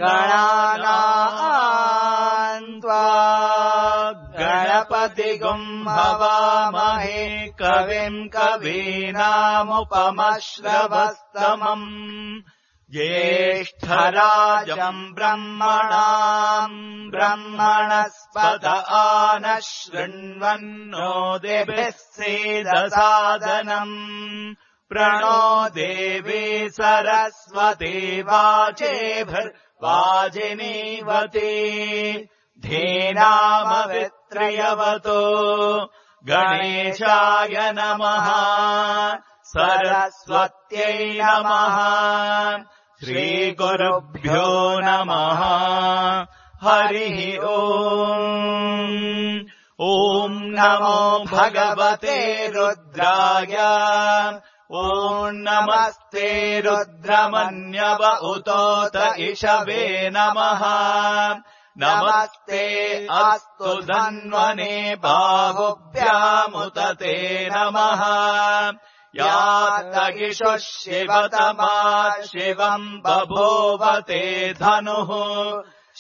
गणानाम् त्वा गणपतिगुम् हवामहे कविम् कवीनामुपमश्रवस्तमम् ज्येष्ठराजम् ब्रह्मणाम् ब्रह्मणस्पत आनः शृण्वन्नो दिभिः सीदसादनम् प्रणो देवी सरस्वती वाचेभिर्वाजिनीवती धीनामवित्रयवतो गणेशाय नमः सरस्वत्यै नमः श्रीगुरुभ्यो नमः हरिः ओम् ॐ नमो भगवते रुद्राय ॐ नमस्ते रुद्रमन्यव उतोत इषवे नमः नमस्ते अस्तु धन्वने बाहुभ्यामुत ते नमः यातगिषुः शिवतमा शिवम् बभूवते धनुः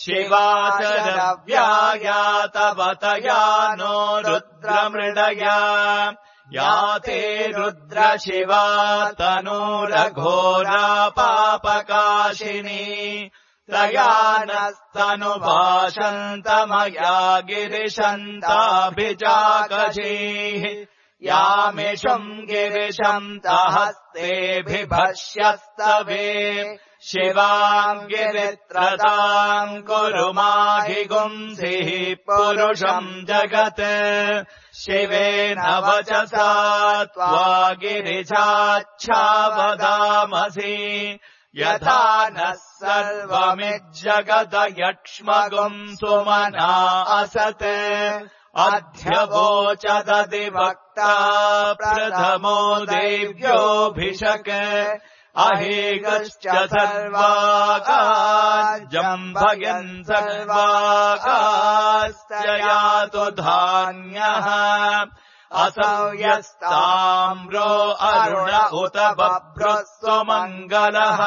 शिवाचरव्यायातवतया नो रुद्रमृडया याते रुद्रशिवा तनूरघोरा पापकाशिनी त्रयानस्तनुभाषन्तमया गिरिशन्ताभिजागजीः यामिषुम् गिरिशन्तहस्तेऽभिभष्यस्तवे शिवाम् गिरित्रताम् कुरु माहिगुंसिः पुरुषम् जगत् शिवेन वचसा त्वा गिरिजाच्छावदामसि यथा नः सर्वमिज्जगदयक्ष्मगुम् सुमना असत् अध्यवोचदधिवक्ता प्रथमो देव्योऽभिषक् अहेगश्च सर्वाकार्जम्भयन् सर्वाकाश्च यातु धान्यः असौ यस्ताम्रो अरुण उत बभ्रस्वमङ्गलः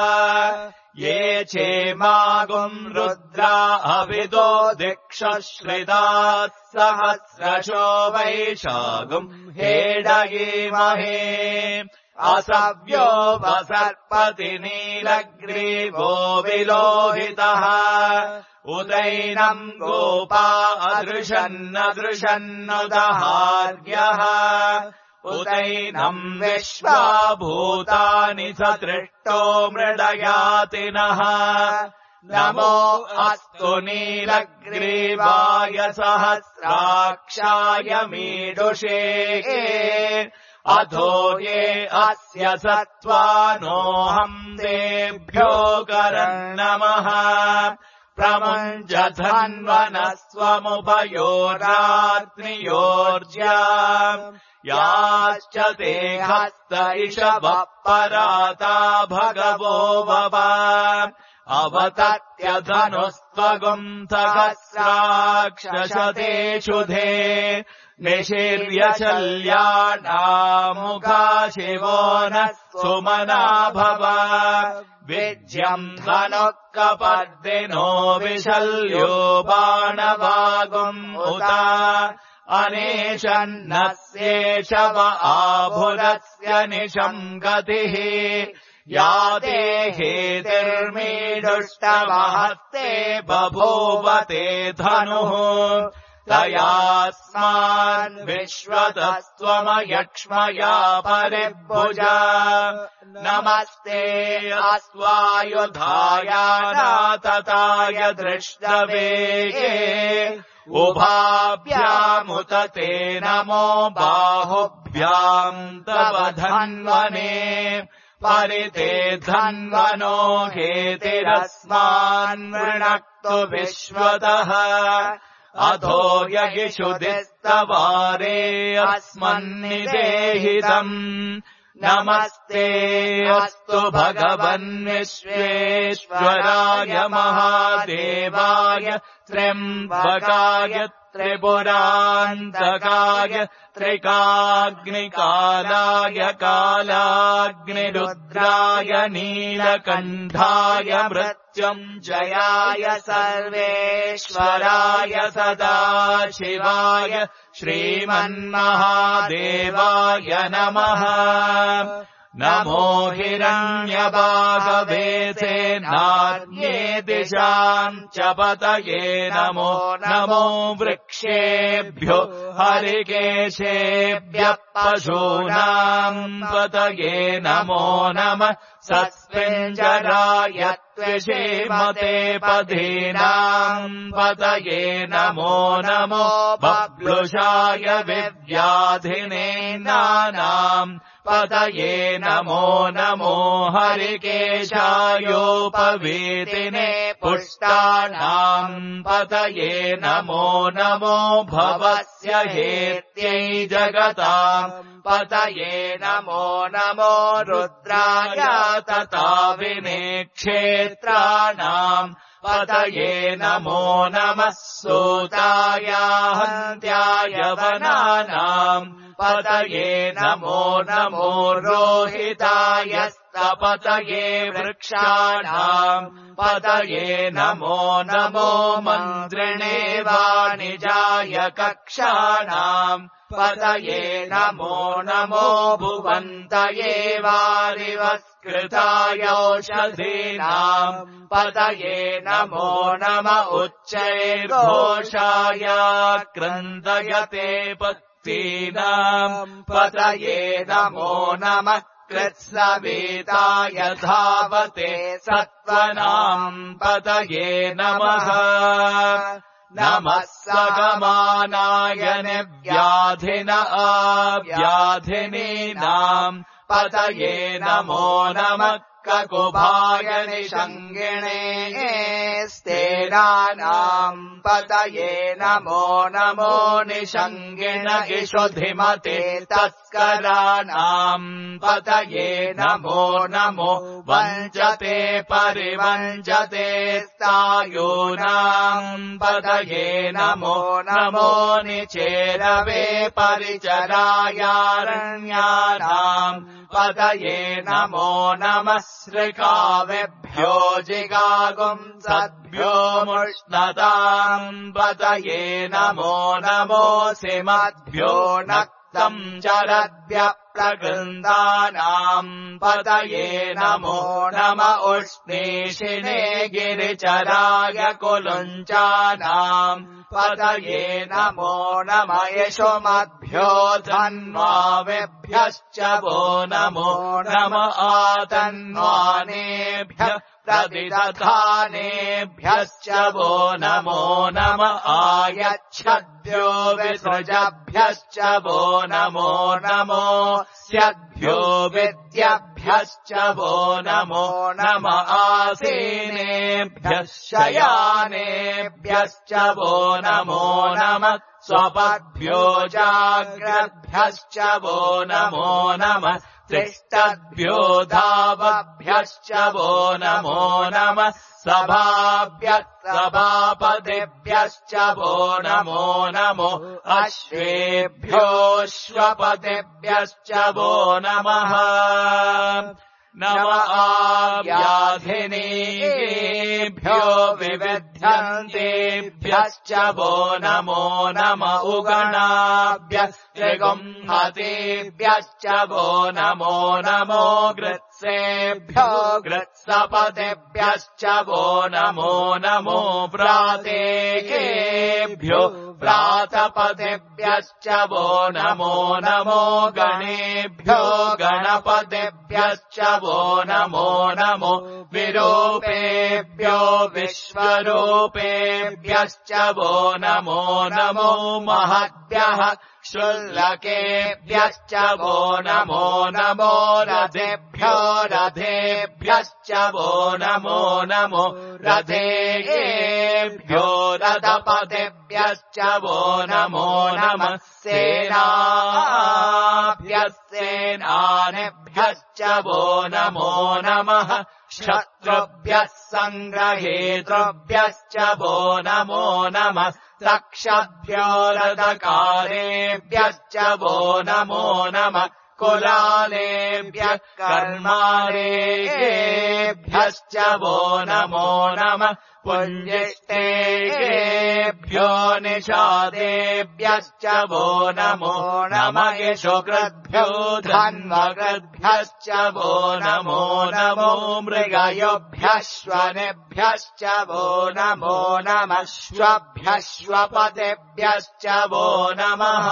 ये चेमागुम् रुद्रा अविदो दिक्षश्रिदाः सहस्रशो वैशागुम् हेडयेमहे असव्यो वसर्पति नीलग्रीवो विलोहितः उदैनम् गोपा अदृशन्नदृशन्नुदहार्यः उदैनम् विश्वा भूतानि सतृष्टो मृडयातिनः नमो अस्तु नीलग्रीवाय सहस्राक्षाय मीडुषे अधो ये अस्य सत्त्वानोऽहम् तेभ्यो करन्नमः प्रमुञ्जधन्वनस्वमुभयोरात्रियोर्ज्या याश्च ते हस्त इषवः पराता भगवो वव अवतत्यधनुस्त्वगुम् सहस्राक्षशते शुधे निशीर्यशल्यानामुखा शिवो नः सुमना भव विज्यम् धनुः कपर्दिनो विशल्यो बाणवागुम् उत अनेशन्नस्येषव आभुरस्य निशम् गतिः या देहेतिर्मीडुष्टमहस्ते बभूवते धनुः तयास्मान् विश्वतस्त्वमयक्ष्मया परिभुजा नमस्ते अस्वायुधाय नातताय दृष्टवेगे उभाभ्यामुत ते नमो बाहुभ्याम् तव धन्वने परिते धन्वनो हेतिरस्मान् वृणक्तु विश्वतः अधो यगिषुदिस्तवारे अस्मन्निदेहितम् नमस्ते अस्तु भगवन् विश्वेश्वराय महादेवाय त्र्यम्बकाय त्रिपुरान्तकाय त्रिकाग्निकालाय कालाग्निरुद्राय नीलकण्ठाय मृत्युञ्जयाय सर्वेश्वराय सदाशिवाय श्रीमन्महादेवाय नमः। नमो हिरण्यबाहवे सेनान्ये दिशाम् च पतये नमो नमो वृक्षेभ्यो हरिकेशेभ्यः पशूनाम् पतये नमो नमः। सस्मिञ्जराय त्विषीमते पदीनाम् पतये नमो नमो। बब्लुषाय विव्याधिने नानाम् पतये नमो नमो। हरिकेशायोपवीतिने पुष्टानाम् पतये नमो नमो। भवस्य हेत्यै जगताम् पतये नमो नमो। रुद्राय तथा विनेक्षेत्राणाम् पतये नमो नमः। सूताय हन्त्याय वनानाम् पतये नमो नमो। रोहिताय स्तपतये वृक्षाणाम् पतये नमो नमो। मन्त्रिणे वाणिजाय कक्षाणाम् पतये नमो नमो। भुवन्तये वारिवस्कृताय औषधीनाम् पतये नमो नम। उच्चैर्घोषाय क्रन्दयते पत्तीनाम् पतये नमो नमः। कृत्सवेताय धावते सत्त्वनाम् पतये नमः। नमः सगमानाय निव्याधिन आव्याधिनीनाम् पतये नमो नमः। ककुभाय निषङ्गिणे स्तेनानाम् पतये नमो नमो। निषङ्गिण इषुधिमते तस्कराणाम् पतये नमो नमो। वञ्चते परिवञ्चते स्थायूनाम् पतये नमो नमो। निचेरवे परिचरायारण्यानाम् पतये नमो नमः। सृकावेभ्यो जिगागुंसद्भ्यो मुष्णताम् पतये नमो नमो। सिमद्भ्यो नक्तम् चरद्भ्यः प्रगृन्दानाम् पतये नमो नम। उष्णीषिणे गिरिचराय कुलुञ्चानाम् पतये नमो नम। यशोमद्भ्यो धन्वावेभ्यश्च वो नमो नम। आतन्वानेभ्यः प्रतिदधानेभ्यश्च वो नमो नम। आयच्छद्भ्यो विसृजभ्यश्च वो नमो नमो। स्यद्भ्यो विद्यभ्यश्च वो नमो नम। आसीनेभ्यः शयानेभ्यश्च वो नमो नम। स्वपद्भ्यो जाग्रद्भ्यश्च वो नमो नम। तिष्ठद्भ्यो धावभ्यश्च वो नमो नम। सभाभ्यः सभापतिभ्यश्च वो नमो नमो। अश्वेभ्योऽश्वपतिभ्यश्च वो नमः। नम आव्याधिनीभ्यो विविध्यन्तेभ्यश्च वो नमो नम। उगणाभ्यः त्रिगुंहतेभ्यश्च वो नमो नमो। गृत्सेभ्यो गृत्सपतिभ्यश्च वो नमो नमो। प्रातेकेभ्यो प्रातपतिभ्यश्च वो नमो नमो। गणेभ्यो गणपतिभ्यश्च वो नमो नमो। विरूपेभ्यो विश्वरूपेभ्यश्च वो नमो नमो। महद्भ्यः शुल्लकेभ्यश्च वो नमो नमो। रथेभ्यो रथेभ्यश्च वो नमो नमो। रथेभ्यो रथपतिभ्यश्च वो नमो नमः। सेनाभ्यः सेनानिभ्यश्च वो नमो नमः। शत्रुभ्यः सङ्ग्रहेतृभ्यश्च वो नमो नमः तक्षद्भ्यो रथकारेभ्यश्च वो नमो नमः कुलालेभ्यः कर्मारेभ्यश्च वो नमो नमः पुञ्जिष्टेभ्यो निषादेभ्यश्च वो नमो नमः यशोकृद्भ्यो धन्वकृद्भ्यश्च वो नमो नमो मृगयोभ्यश्वनेभ्यश्च वो नमो नमः श्वभ्यश्वपतेभ्यश्च वो नमः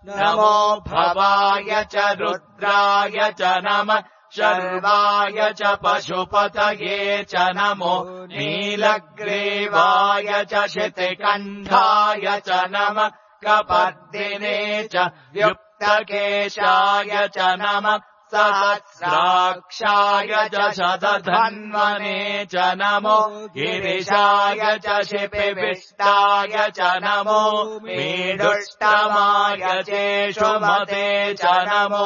नमो भवाय च रुद्राय च नमः शर्वाय च पशुपतये च नमो नीलग्रीवाय च शितिकण्ठाय च नमः कपर्दिने च युक्तकेशाय च नमः सहस्राक्षाय च शतधन्वने च नमो गिरिशाय च शिपिविष्टाय च नमो मीडुष्टमाय चेषुमते च नमो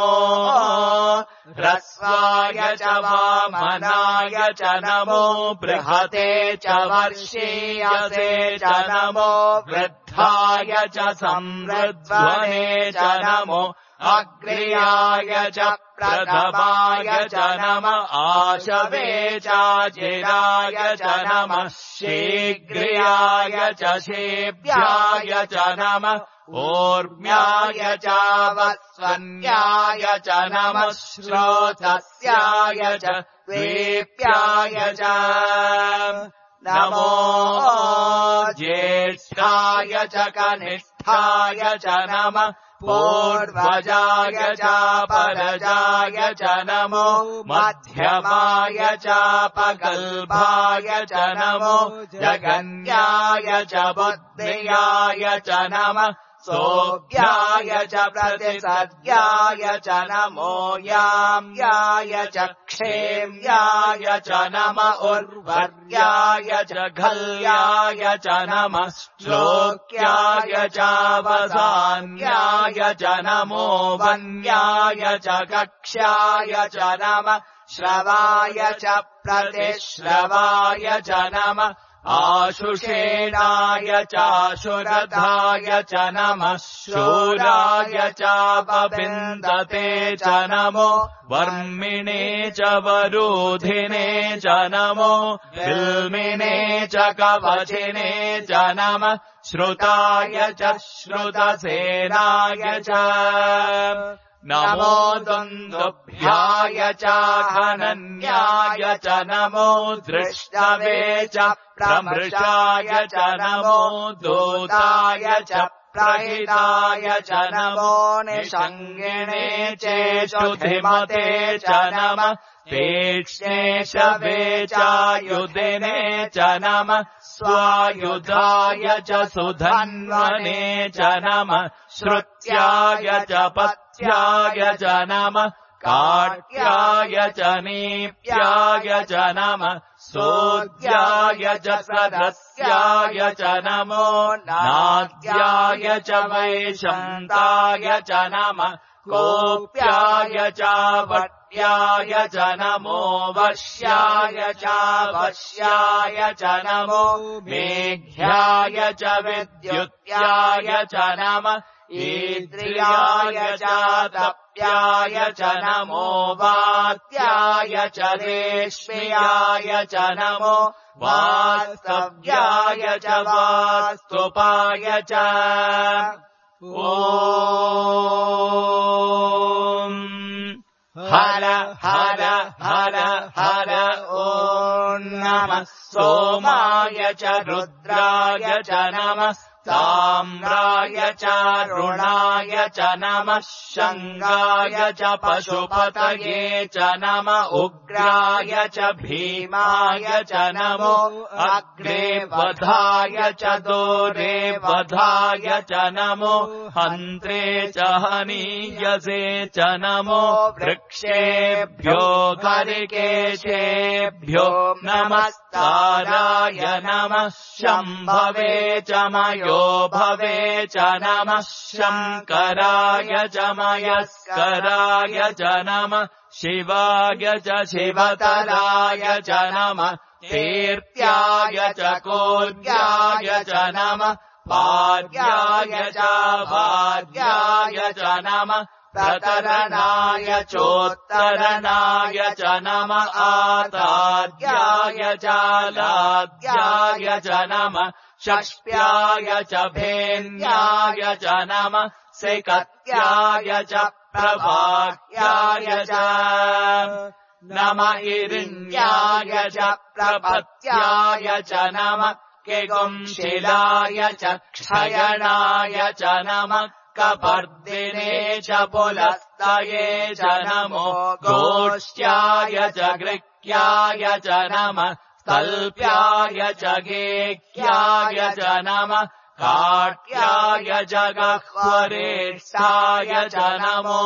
ह्रस्वाय च वामनाय च नमो बृहते च वर्षीयसे च नमो वृद्धाय च संवृध्वने च नमो अग्र्याय च प्रथमाय च नमः आशवे चाचिराय च नमः शीघ्र्याय च शेभ्याय च नमः ऊर्म्याय च वस्वन्याय च नमः श्रोतस्याय च द्वीप्याय च नमो ज्येष्ठाय च कनिष्ठाय च नमः पूर्वजाय च परजाय च नमो मध्यमाय च पगल्भाय च नमो जगन्याय च बुद्धियाय च नमः सोऽभ्याय च प्रतिसद्याय च नमो याम्याय च क्षेम्याय च नमः उर्वर्याय च घल्याय च नमः श्लोक्याय च वसान्याय च नमो वन्याय च कक्ष्याय च नमः श्रवाय च प्रतिश्रवाय च नमः आशुषेणाय चाशुरथाय च नमः शूराय चापविन्दते च नमो वर्मिणे च वरूधिने च नमो बिल्मिने च कवचिने च नमः श्रुताय च श्रुतसेनाय च नमो दुन्दुभ्याय च घनन्याय च नमो दृष्टवे च प्रमृषाय च नमो दूताय च प्रहिताय च नमो निषङ्गिणे चेषुधिमते च नमः तीक्ष्णे शवे चायुधिने च नमः स्वायुधाय च सुधन्वने च नमः श्रुत्याय च पथ्याय च नमः काट्याय च नीप्याय च नमः सोद्याय च सदस्याय च नमो नाद्याय च वैशन्ताय च नमः कोप्याय च वट्याय च नमो वश्याय च वश्याय च नमो मेघ्याय च विद्युत्याय च नमः ईद्रियाय च तप्याय च नमो वात्याय च रेश्म्याय च नमो वास्तव्याय च वास्तुपाय च ॐ हर हर हर हर ॐ नमः सोमाय च रुद्राय च नमः ताम्राय च रुणाय च नमः शङ्गाय च पशुपतये च नमः उग्राय च भीमाय च नमो अग्रे वधाय च दूरे वधाय च नमो हन्त्रे च हनीयसे च नमो वृक्षेभ्यो हरिकेशेभ्यो नमस्ताराय नमः शम्भवे च मयो मयो भवे च नमः शङ्कराय च मयस्कराय च नमः शिवाय च शिवतराय च नमः तीर्थ्याय च कोद्याय च नमः पाद्याय च वाद्याय च नमः प्रतरणाय चोत्तरणाय च नमः आताद्याय च लाद्याय च नमः षष्ट्याय च भेन्याय च नमः सिकत्याय च प्रभाह्याय च नमः इरिण्याय च प्रपत्याय च नमः किगुंशिलाय च क्षयणाय च नमः कपर्दिने च पुलस्तये च नमो गोष्ट्याय च गृह्याय च नमः स्तल्प्याय च गेह्याय च नमः काट्याय च गह्वरेष्ठाय च नमो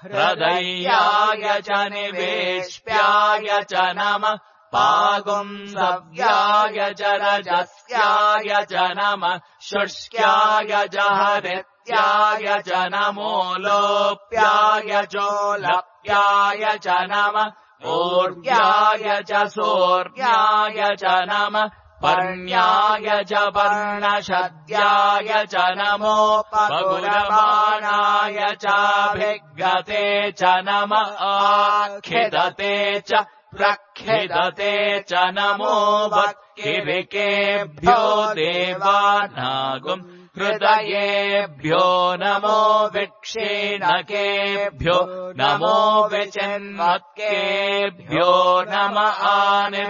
हृदयाय च निवेश्याय च नमः पागुंसव्याय च रजस्याय च नमः शुष्क्याय च हरित्याय च नमो लोप्याय चोलप्याय च नमः ऊर्ध्याय च सूर्याय च नमः पर्ण्याय च पर्णशद्याय च नमो पगुरमाणाय चाभिगते च नमः आखिदते च प्रखिदते च नमो वक्किरिकेभ्यो देवानागुम् हृदयेभ्यो नमो विक्षीणकेभ्यो नमो विचिन्वत्केभ्यो नम आनिर्हतेभ्यो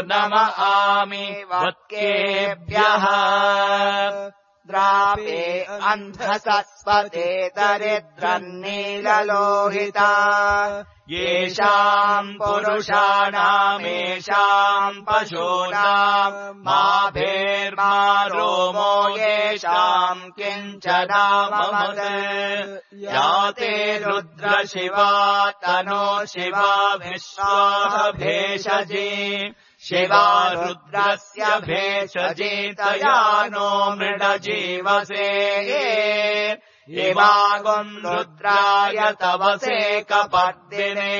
नम आमिवत्केभ्यः द्रापे अन्धसस्वते दरिद्रन्नीललोहिता येषाम् पुरुषाणामेषाम् पशूनाम् माभेर्मा रोमो येषाम् किञ्चनाममत् याते रुद्रशिवा तनो शिवा विश्वाः भेषजी शिवा रुद्रस्य भेषजीतया नो मृडजीवसे इमागुम् रुद्राय तवसे कपर्दिने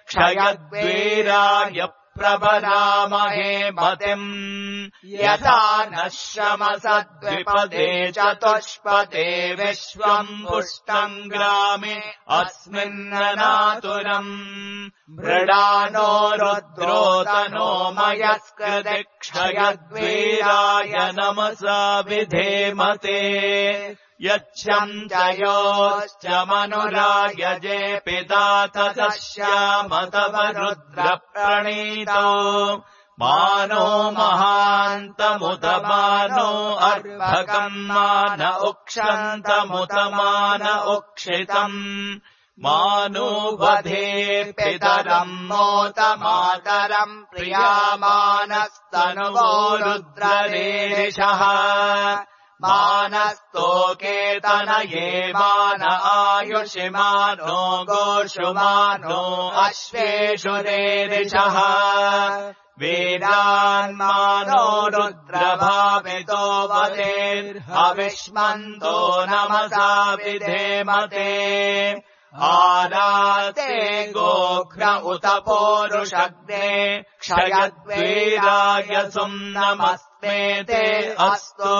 क्षयद्वीराय प्रबलामहे मतिम् यथा नः श्रमसद्विपदे चतुष्पदे विश्वम् पुष्टम् ग्रामे अस्मिन्ननातुरम् मृडानो रुद्रोतनो मयस्कृति क्षयद्वीराय नमसा विधेमते यच्छम् जयोश्च मनुरायजे पिता तदश्यामतव रुद्रप्रणीतो मानो महान्तमुत मानो अर्भकम् मान उक्षन्तमुत मान उक्षितम् मानो वधे पितरम् मोत मातरम् प्रियामानस्तनुवो रुद्ररेरिषः मानस्तोकेतनये मान आयुषिमानो गोषुमानो अश्वेषु रेरिषः वीरान्मानो रुद्रभावितो वदेर्हविष्मन्तो नमसा विधेमते आराते गोघ्र उत पोरुषग्ने क्षयद्वीराय सुम्नमस्मेते अस्तु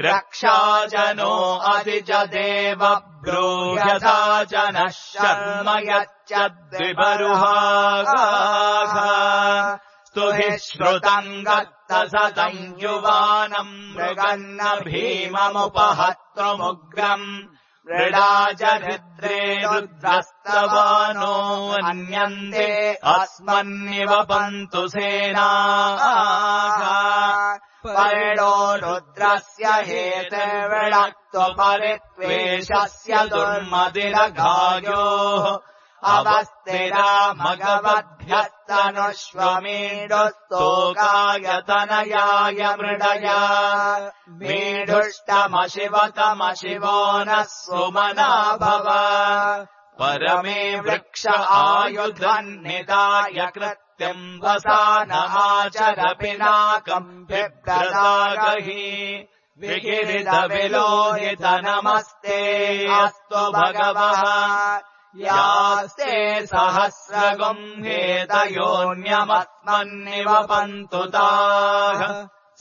रक्षाजनो अधिजदेव ब्रूह्यथा जनः शर्म यच्चद्विबरुहागाः स्तुभिः श्रुतम् गत्तसतम् युवानम् मृगन्न भीममुपहत्तुमुग्रम् मृडाजरिद्रे रुद्रस्तवानो अन्यन्ते अस्मन्निव पन्तु सेनाः परिणो रुद्रस्य हेतिर्विणक्तु परित्वेषस्य दुर्मदिरघायोः अवस्थिरा मघवद्भ्यस्तनुष्वमीडुस्तोकाय तनयाय मृडया मीढुष्टमशिवतमशिवो नः सुमना भव परमे वृक्ष आयुधन्निताय कृत् सत्यम् वसानमाचर पिनाकम् बिभ्रदागहि विकिरितविलोहित नमस्ते अस्तु भगवः यास्ते सहस्रगुम्हेतयोऽन्यमस्मन्निवपन्तु ताः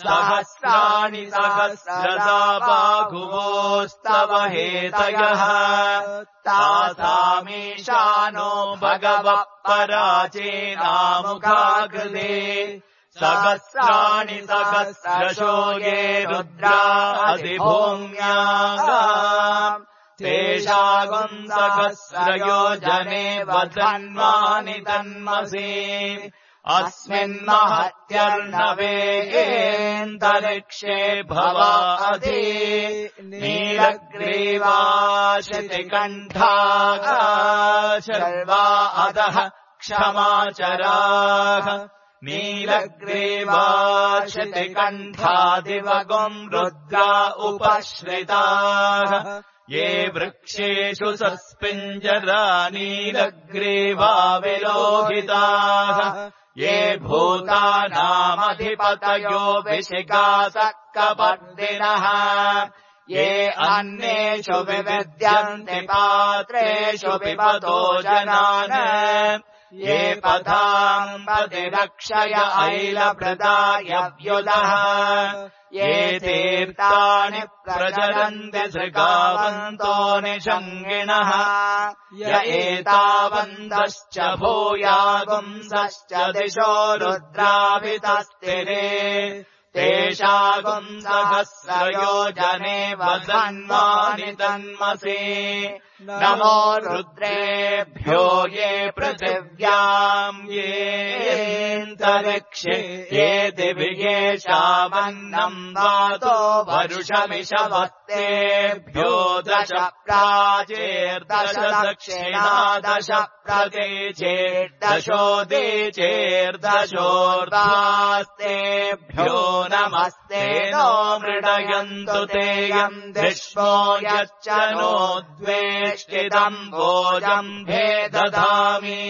सहस्राणि सहस्रदा बाहुवोस्तव हेतयः तासामीशानो भगवः पराचीनामुखाकृते सहस्राणि सहस्रशो ये रुद्रा अधिभूम्याः तेषागुम् सहस्रयोजने वधन्वानि तन्मसि अस्मिन्महत्यर्णवेन्तरिक्षे भवाधि नीलग्रीवाशितिकण्ठाः शर्वा अधः क्षमाचराः नीलग्रीवाशितिकण्ठादिवगुम् रुद्रा उपश्रिताः ये वृक्षेषु सस्पिञ्जरा नीलग्रीवा विलोहिताः ये भूतानामधिपतयो विशिखासक्कपर्दिनः ये अन्येषु विविद्यन्ति पात्रेषु पिबतो जनान् ये पथाम् पतिरक्षय ऐलभृदायव्युदः ये तीर्थानि प्रचरन्ति सृगावन्तो निषङ्गिणः य एतावन्तश्च भूयागुंसश्च दिशो रुद्राभितस्तिरे तेषागुम् सहस्रयोजने वधन्वानि तन्मसि नमो रुद्रेभ्यो ये पृथिव्याम् येऽन्तरिक्षे ये दिवि येषामन्नम् वातो वरुषमिषवत्तेभ्यो दश प्राचेर्दश दक्षिणा दश प्रतीचेर्दशोदीचेर्दशोर्ध्वास्तेभ्यो नमस्ते नो मृडयन्तु ते यम् धिष्मो यच्च नो द्वेष्टिदम् भोजम् भेदधामि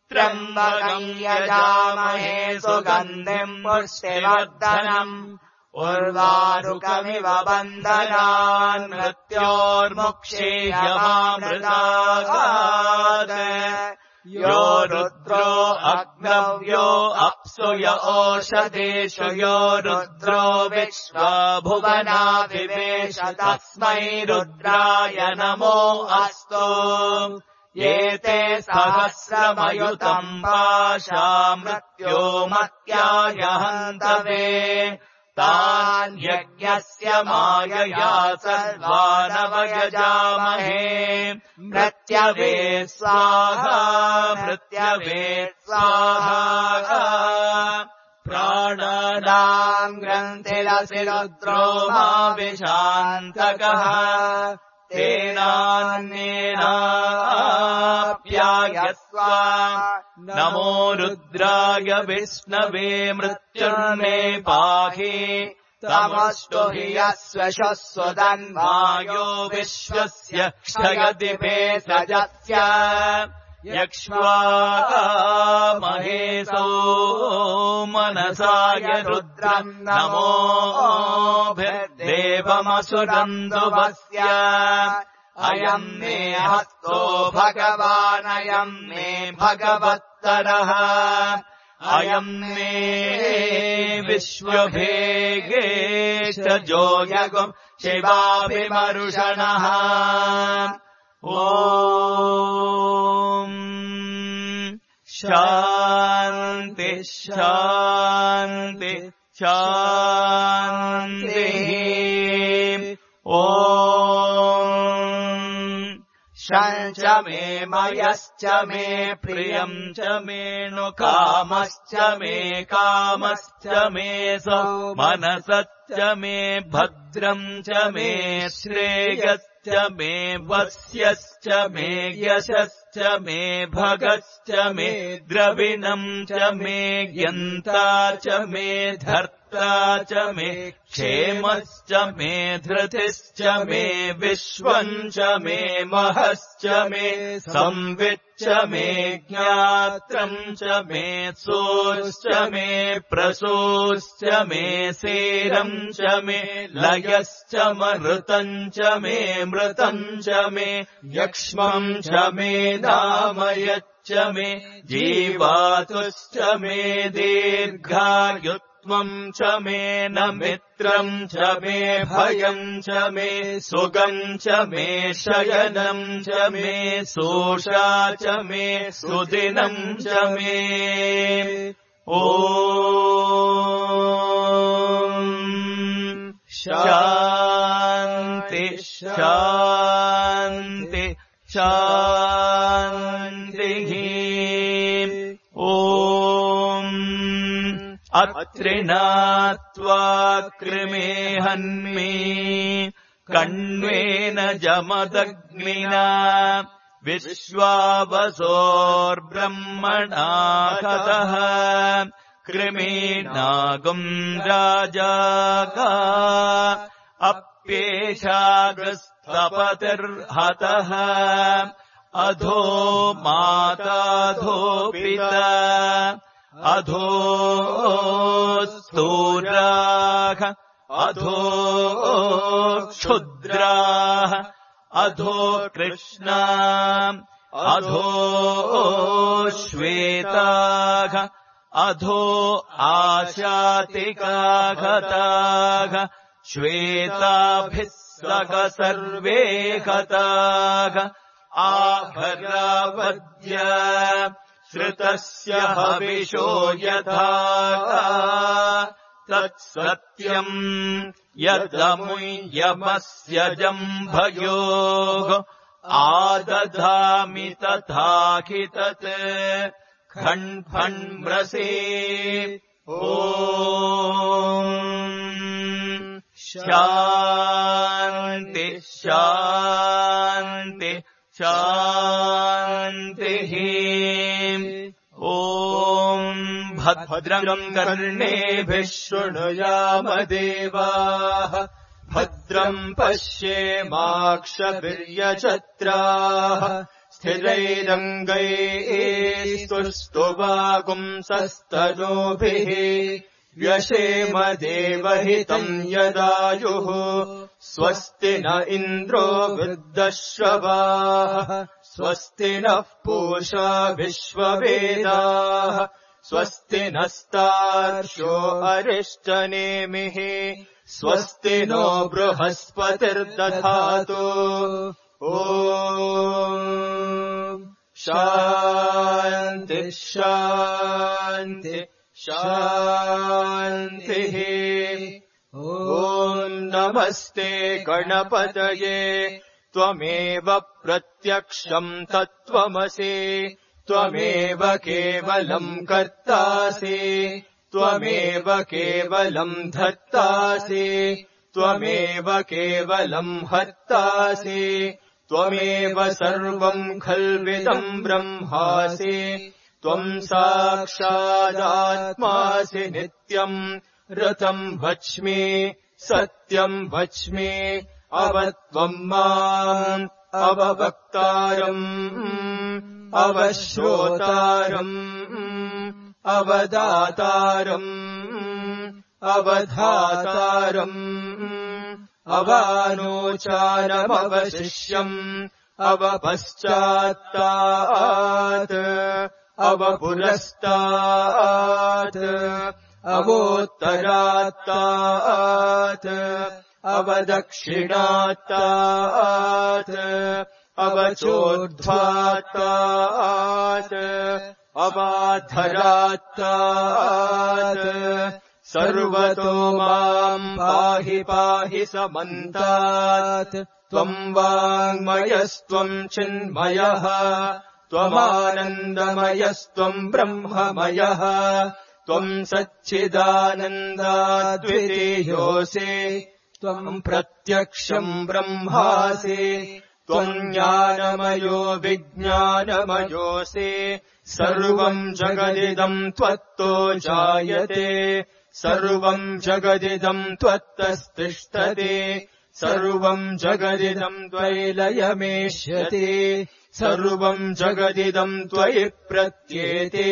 त्र्यम्बकम् यजामहे सुगन्धिम् पुष्टिवर्धनम् उर्वारुकमिव बन्धनान् मृत्योर्मुक्षीयमामृतागात् यो रुद्रो अग्नव्यो अप्सु य ओषधेषु यो रुद्रो विश्वभुवनाभिवेश तस्मै रुद्राय नमो अस्तु ये ते सहस्रमयुतम् पाशा मृत्यो मत्याय हन्तवे तान् यज्ञस्य मायया सर्वानवयजामहे मृत्यवे स्वाहा मृत्यवे स्वाहा प्राणानाम् ग्रन्थिरसि रुद्रो मा विशान्तकः तेनान्येनाप्यायस्व नमो रुद्राय विष्णवे मृत्युर्मे पाहि तमस्तु हि यस्वशस्वदन्वायो विश्वस्य क्षयति भेषजस्य यक्ष्वामहेशो मनसाय रुद्रम् नमोभिर्देवमसुरन्दुवस्य अयम् मे हस्तो भगवानयम् मे भगवत्तरः अयम् मे विश्वभेगेशजो यगुम् शिवाभिमरुषणः ॐ शान्ति शान्ति शान्तिः ॐ शञ्च मे मयश्च मे प्रियम् च मे नु कामश्च मे कामश्च मे सौ मनसश्च मे भद्रम् च मे श्रेयश्च मे वस्यश्च मे यशश्च मे भगश्च मे द्रविणम् च मे यन्ता च मे धर्ता यात्रा च मे क्षेमश्च मे धृतिश्च मे विश्वम् च मे महश्च मे संविच्च मे ज्ञात्रम् च मे सोश्च मे प्रसोश्च मे सेरम् च मे लयश्च मृतम् च मे मृतम् च मे यक्ष्मम् च मे नामयच्च मे जीवातुश्च मे दीर्घायुत्वम् च मे न मित्रम् च मे भयम् च मे सुगम् च मे शयनम् च मे सोषा च मे सुदिनम् च मे शान्ति शान्ति शान्तिः अत्रिणात्वा कृमे हन्मि कण्वेन जमदग्निना विश्वावसोर्ब्रह्मणा हतः कृमीनागम् राजागा अप्येषागस्तपतिर्हतः अधो माताधो पिता अधो स्थूराः अधो क्षुद्राः अधो कृष्णा अधो श्वेताः अधो आशातिकागताः श्वेताभिः सह सर्वे गताः आहरावद्य श्रुतस्य हविषो यथा तत्सत्यम् यदमुयमस्य जम्भयोः आदधामि तथाहि तत् खण्फण्म्रसे शान्ति शान्ति शान्तिः भद्रम् कर्णेभिः शृणुयाम देवाः भद्रम् पश्येमाक्षभिर्यजत्राः स्थिरैरङ्गैस्तुष्टुवागुंसस्तनूभिः व्यशेम देवहितम् यदायुः स्वस्ति न इन्द्रो वृद्धश्रवाः स्वस्ति नः पूषा विश्ववेदाः स्वस्ति नस्तार्क्ष्यो अरिष्टनेमिः स्वस्ति नो बृहस्पतिर्दधातु शान्ति शान्ति शान्तिः नमस्ते गणपतये त्वमेव प्रत्यक्षम् तत्त्वमसि त्वमेव केवलम् कर्तासि त्वमेव केवलम् धर्तासि त्वमेव केवलम् हर्तासि त्वमेव सर्वम् खल्विदम् ब्रह्मासि त्वम् साक्षादात्मासि नित्यम् ऋतम् वच्मि सत्यम् वच्मि अवत्वम् माम् अववक्तारम् अवश्रोतारम् अवदातारम् अवधातारम् अवानोचारमवशिष्यम् अवपश्चात्तात् अवपुरस्तात् अवोत्तरात्तात् अवदक्षिणात्तात् अवचोर्ध्वात्तात् अवाधरात्तात् सर्वतो माम् पाहि पाहि समन्तात् त्वम् वाङ्मयस्त्वम् चिन्मयः त्वमानन्दमयस्त्वम् ब्रह्ममयः त्वम् सच्चिदानन्दाद्वितीयोऽसि त्वम् प्रत्यक्षम् ब्रह्मासि त्वम् ज्ञानमयो विज्ञानमयोऽसि सर्वम् जगदिदम् त्वत्तो जायते सर्वम् जगदिदम् त्वत्तस्तिष्ठते सर्वम् जगदिदम् त्वयि लयमेष्यते सर्वम् जगदिदम् त्वयि प्रत्येते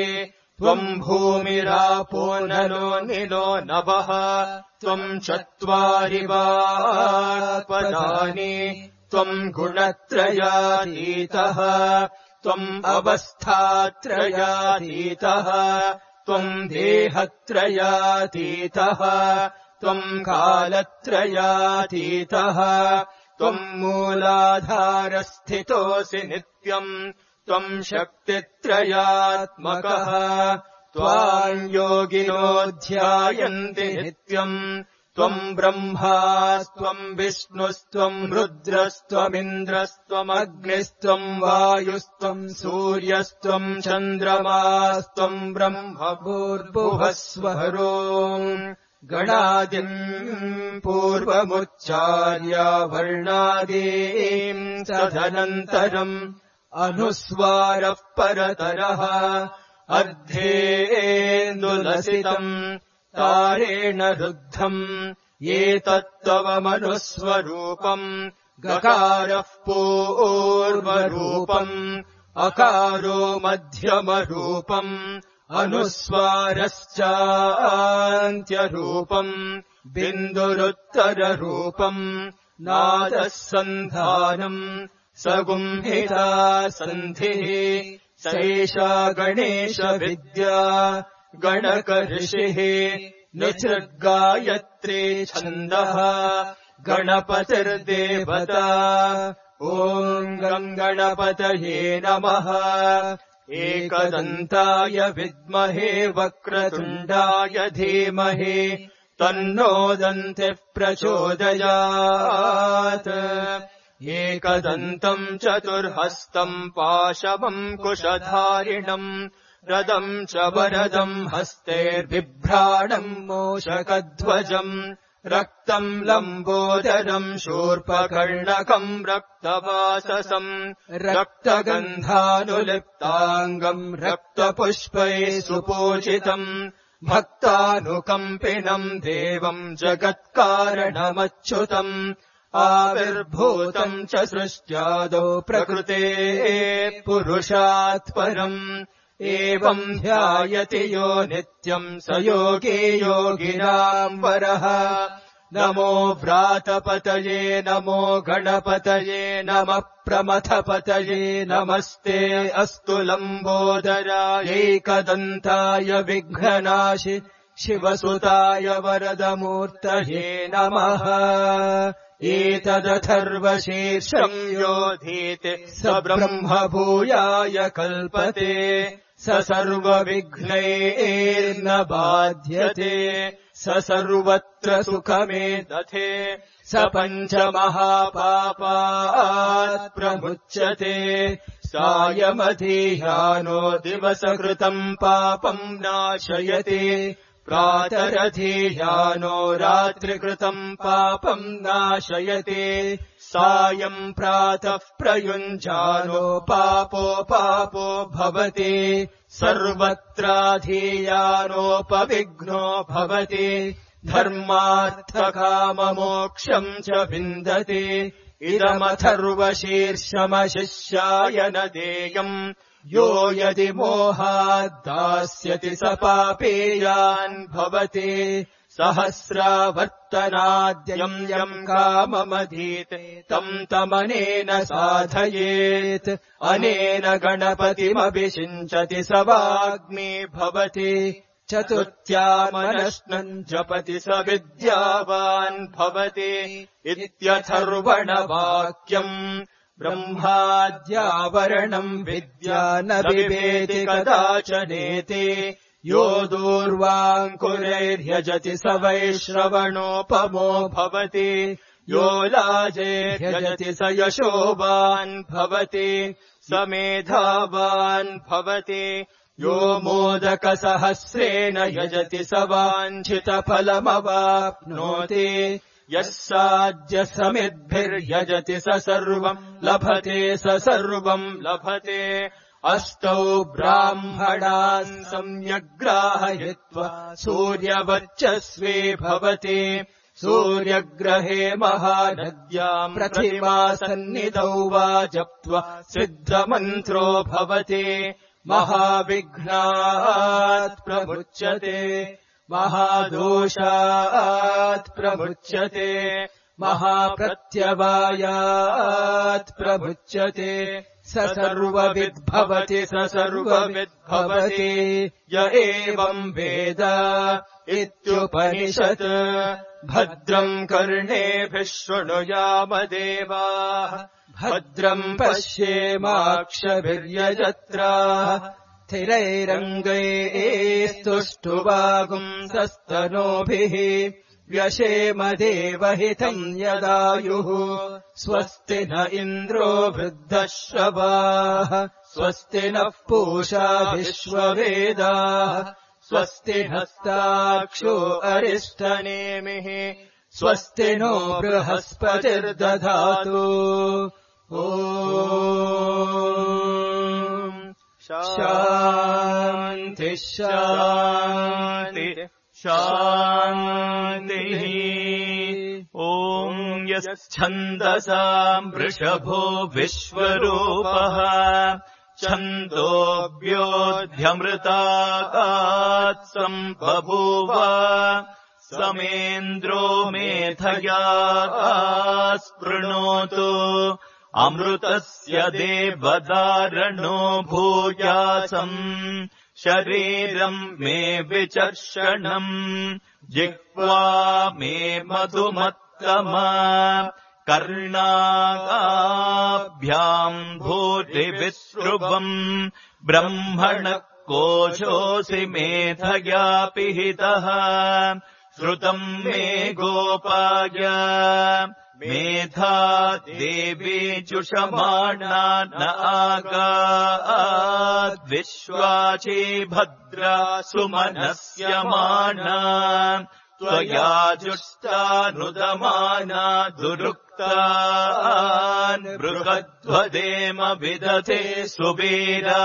त्वम् भूमिरापो नलो निलो नभः त्वम् चत्वारि पदानि त्वम् गुणत्रयातीतः त्वम् अवस्थात्रयातीतः त्वम् देहत्रयातीतः त्वम् कालत्रयातीतः त्वम् मूलाधारस्थितोऽसि नित्यम् त्वम् शक्तित्रयात्मकः त्वाम् योगिनो ध्यायन्ति नित्यम् त्वम् ब्रह्मास्त्वम् विष्णुस्त्वम् रुद्रस्त्वमिन्द्रस्त्वमग्निस्त्वम् वायुस्त्वम् सूर्यस्त्वम् चन्द्रमास्त्वम् ब्रह्म भूर्भुवस्वरो गणादिम् पूर्वमुच्चार्य वर्णादीम् तदनन्तरम् अनुस्वारः परतरः अर्धेन्दुलसितम् तारेण रुद्धम् एतत्त्वमनुस्वरूपम् गकारः पूर्वरूपम् अकारो मध्यमरूपम् अनुस्वारश्चान्त्यरूपम् बिन्दुरुत्तररूपम् नादः सन्धानम् सगुंहिता सन्धिः सैषा गणेशविद्या गणकऋषिः निसृगायत्री छन्दः गणपतिर्देवता ॐ गणपतये नमः एकदन्ताय विद्महे वक्रतुण्डाय धीमहि तन्नो दन्तिः प्रचोदयात् एकदन्तम् चतुर्हस्तम् पाशवम् कुशधारिणम् रदम् च वरदम् हस्तैर्बिभ्राणम् मूषकध्वजम् रक्तम् लम्बोदरम् शूर्पकर्णकम् रक्तवाससम् रक्तगन्धानुलिप्ताङ्गम् रक्तपुष्पैः सुपूजितम् भक्तानुकम्पिनम् देवम् जगत्कारणमच्युतम् आविर्भूतम् च सृष्ट्यादौ प्रकृतेः पुरुषात् परम् एवम् ध्यायति यो नित्यम् स योगी योगिनाम् वरः नमो व्रातपतये नमो गणपतये नमः प्रमथपतये नमस्ते अस्तु लम्बोदराय एकदन्ताय विघ्ननाशि शिवसुताय वरदमूर्तये नमः एतदथर्वशीर्षम् योधीते स ब्रह्म भूयाय कल्पते स सर्वविघ्नैर्न बाध्यते स सर्वत्र सुखमेदथे स पञ्चमहापापात् प्रमुच्यते सायमधीह्यानो दिवसकृतम् पापम् नाशयति प्रातरधीह्यानो रात्रिकृतम् पापम् नाशयति सायम् प्रातः प्रयुञ्जानो पापो भवति सर्वत्राधीयानोपविघ्नो भवति धर्मार्थकाममोक्षम् च विन्दति इदमथर्वशीर्षमशिष्याय न देयम् यो यदि मोहाद्दास्यति स पापेयान् भवति सहस्रावर्तनाद्यम् यम् काममधीते तम् तमनेन साधयेत् अनेन गणपतिमभिषिञ्चति स वाग्मी भवति चतुर्थ्यामनश्नम् जपति स विद्यावान् भवति इत्यथर्वणवाक्यम् ब्रह्माद्यावरणम् विद्या न बिभेति कदाचनेति यो दूर्वाङ्कुरैर्यजति स वैश्रवणोपमो भवति यो लाजैर्यजति स यशोवान् भवति स मेधावान् भवति यो मोदकसहस्रेण यजति स वाञ्छितफलमवाप्नोति यः साद्य समिद्भिर्यजति स सर्वम् लभते स सर्वम् लभते अष्टौ ब्राह्मणान् सम्यग्राहयित्वा सूर्यवर्चस्वे भवति सूर्यग्रहे महानद्याम् प्रतिमासन्निधौ वा जप्त्वा सिद्धमन्त्रो भवति महाविघ्नात् प्रमुच्यते महादोषात् प्रमुच्यते महाप्रत्यवायात् प्रमुच्यते स सर्वविद्भवति स सर्वविद्भवति य एवम् वेद इत्युपनिषत् भद्रम् कर्णेभिः शृणुयाम देवाः भद्रम् पश्येमाक्षभिर्यजत्राः स्थिरैरङ्गैस्तुष्टुवागुंसस्तनूभिः व्यशेम देवहितम् यदायुः स्वस्ति न इन्द्रो वृद्धश्रवाः स्वस्ति नः पूषा विश्ववेदाः स्वस्ति नस्ताक्षो अरिष्टनेमिः स्वस्ति नो बृहस्पतिर्दधातु शान्ति शान्ति शान्तिः ॐ यच्छन्दसाम् वृषभो विश्वरूपः छन्दोऽभ्योऽध्यमृतात् सम्बभूव समेन्द्रो मेधया स्पृणोतु अमृतस्य देवदारणो भूयासम् शरीरम् मे विचर्षणम् जिह्वा मे मधुमत्तमा कर्णाभ्याम् भूरिविसृभम् ब्रह्मणः कोशोऽसि मेधया पिहितः श्रुतम् मे गोपाय मेधा देवी जुषमाणा न आगाद्विश्वाची भद्रा सुमनस्यमाना त्वया जुष्टानुदमाना दुरुक्तान् बृहद्वदेम विदधे सुवीराः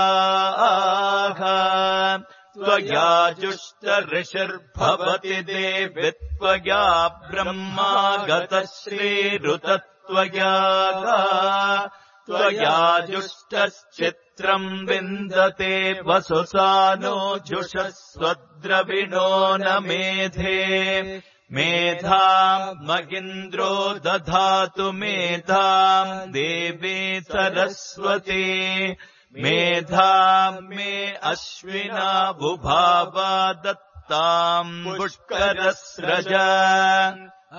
त्वया जुष्टऋषिर्भवति देवि त्वया ब्रह्मा गतश्रीरुतत्वया त्वया जुष्टश्चित्रम् विन्दते वसुसानो जुषस्वद्रविणो न मेधे मेधाम् मगिन्द्रो दधातु मेधाम् देवी सरस्वती मेधाम् मे अश्विना बुभावा दत्ताम् पुष्करस्रज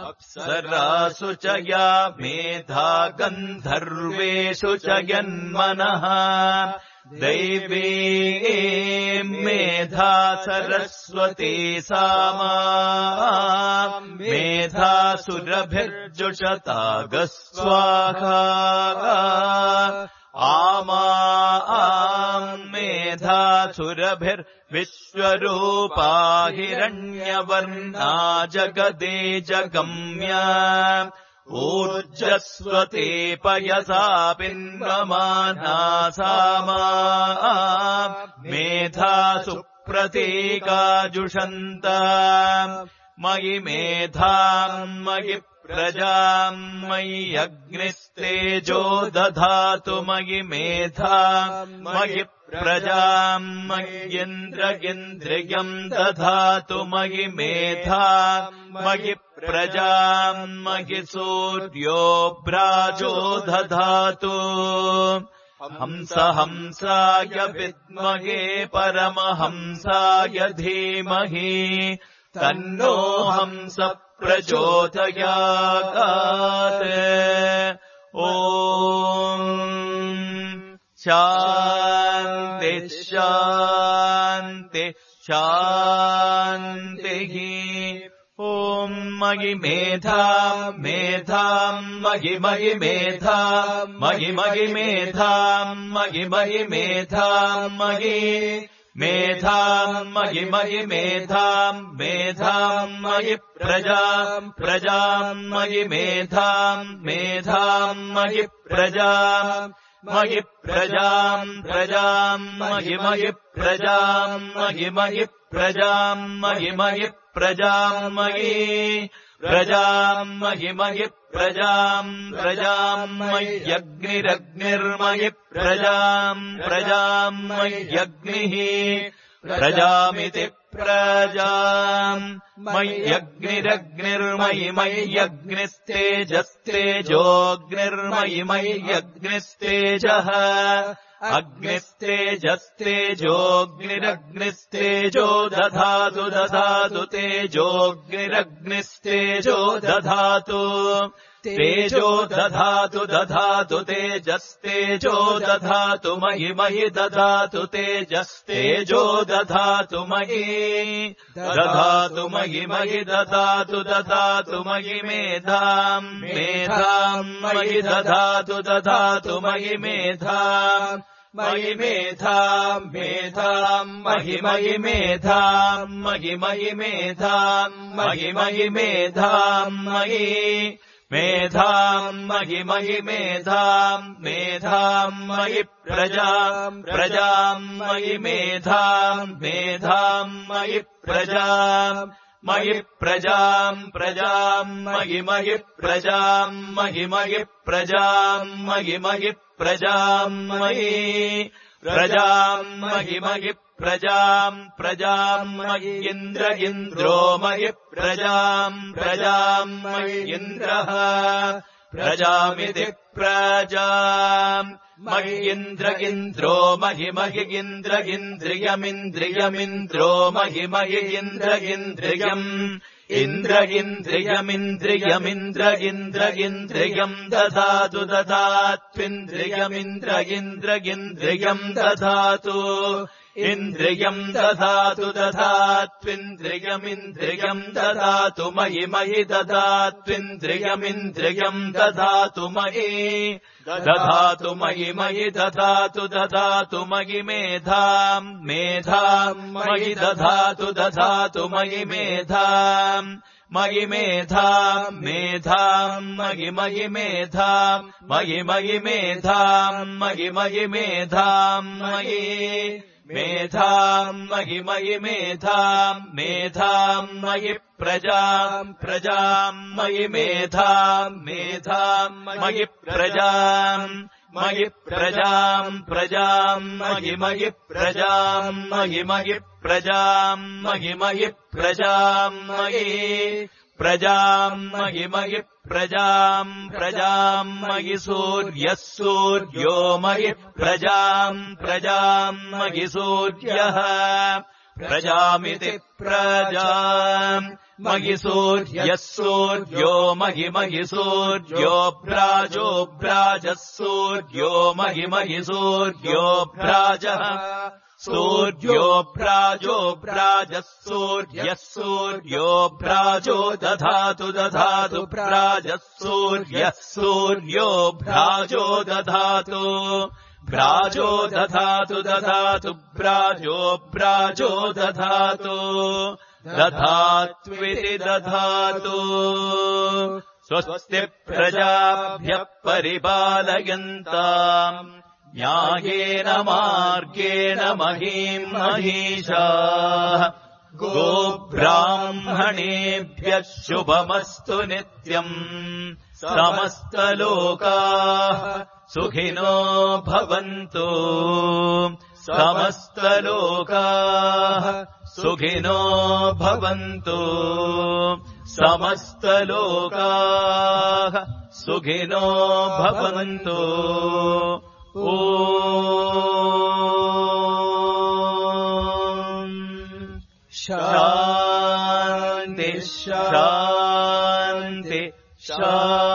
अप्सरासु च या मेधा गन्धर्वेषु च यन्मनः दैवी मेधा सरस्वती सामा मेधा सुरभिर्जुषतागस्वाहा आमा मेधा सुरभिर्विश्वरूपा हिरण्यवर्णा जगदे जगम्या ऊर्जस्वते पयसा पिन्वमाना सामा मेधा सुप्रतीका जुषन्ता मयि मेधाम् मयि प्रजाम् मयि अग्निस्तेजो दधातु मयि मेधाम् मयि प्रजाम् मय्येन्द्रियम् दधातु मयि मेधाम् मयि प्रजाम् मयि सूर्यो भ्राजो दधातु हंसाय विद्महे परमहंसाय धीमहि तन्नो हंस प्रचोदयात् ॐ शान्ति शान्ति शान्तिः ॐ मयि मेधाम् मेधाम् मयि मयि मेधाम् मयि मयि मेधाम् मयि मयि मेधाम् मयि मेधाम् मयि मयि मेधाम् मेधाम् मयि प्रजाम् प्रजाम् मयि मेधाम् मेधाम् मयि प्रजाम् मयि प्रजाम् प्रजाम् मयि मयि प्रजाम् मयि मयि प्रजाम् मयि मयि प्रजाम् मयि प्रजाम् मयि मयि प्रजाम् प्रजाम् मय्यग्निरग्निर्मयि प्रजाम् प्रजाम् मय्यग्निः प्रजामिति प्रजाम् मय्यग्निरग्निर्मयि मय्यग्निस्तेजस्तेजोऽग्निर्मयि मय्यग्निस्तेजः अग्निस्तेजस्तेजोऽग्निरग्निस्तेजो दधातु दधातु तेजोऽग्निरग्निस्तेजो दधातु तेजो दधातु दधातु तेजस्तेजो दधातु मयि मयि दधातु तेजस्तेजो दधातु मयि दधातु मयि मयि दधातु दधातु मयि मेधाम् मेधाम् मयि दधातु दधातु मयि मेधाम् मयि मेधाम् मेधाम् मयि मयि मेधाम् मयि मयि मेधाम् मयि मयि मेधाम् मयि मेधाम् मयि मयि मेधाम् मेधाम् मयि प्रजाम् प्रजाम् मयि मेधाम् मेधाम् मयि प्रजाम् मयि प्रजाम् प्रजाम् मयि मयि प्रजाम् मयि मयि प्रजाम् मयि मयि प्रजाम् मयि प्रजाम् मयि मयि प्रजाम् प्रजाम् मयि इन्द्र इन्द्रो मयि प्रजाम् प्रजाम् मयि इन्द्रः प्रजामिति प्रजाम् मयि इन्द्र इन्द्रो मयि मयि इन्द्र इन्द्रियमिन्द्रियमिन्द्रो मयि मयि इन्द्र इन्द्रियम् इन्द्र इन्द्रियमिन्द्रियमिन्द्र इन्द्र इन्द्रियम् दधातु दधात्विन्द्रियमिन्द्र इन्द्र इन्द्रियम् दधातु इन्द्रियम् दधातु दधात्विन्द्रियमिन्द्रियम् दधातु मयि मयि दधात्विन्द्रियमिन्द्रियम् दधातु मयि दधातु मयि मयि दधातु दधातु मयि मेधाम् मेधाम् मयि दधातु दधातु मयि मेधाम् मयि मेधाम् मेधाम् मयि मयि मेधाम् मयि मयि मेधाम् मयि मयि मेधाम् मयि मेधाम् मयि मयि मेधाम् मेधाम् मयि प्रजाम् प्रजाम् मयि मेधाम् मेधाम् मयि प्रजाम् मयि प्रजाम् प्रजाम् मयि मयि प्रजाम् मयि मयि प्रजाम् मयि मयि प्रजाम् मयि प्रजाम् मयि मयि प्रजाम् प्रजाम् मयि सूर्यः सूर्यो मयि प्रजाम् प्रजाम् मयि सूर्यः प्रजामिति प्रजाम् मयि सूर्यः सूर्यो मयि मयि सूर्यो भ्राजो भ्राजः सूर्यो मयि मयि सूर्यो भ्राजः सूर्यो भ्राजो भ्राजः सूर्यः सूर्यो भ्राजो दधातु दधातु भ्राजः सूर्यः सूर्यो भ्राजो दधातु भ्राजो दधातु दधातु भ्राजो भ्राजो दधातु दधात्विति दधातु स्वस्ति प्रजाभ्यः परिपालयन्ताम् न्यायेन मार्गेण महीम् महिषाः गोब्राह्मणेभ्यः शुभमस्तु नित्यम् समस्तलोकाः सुखिनो भवन्तु समस्तलोकाः सुखिनो भवन्तु समस्तलोकाः सुखिनो भवन्तु ॐ शान्ति शान्ति शान्ति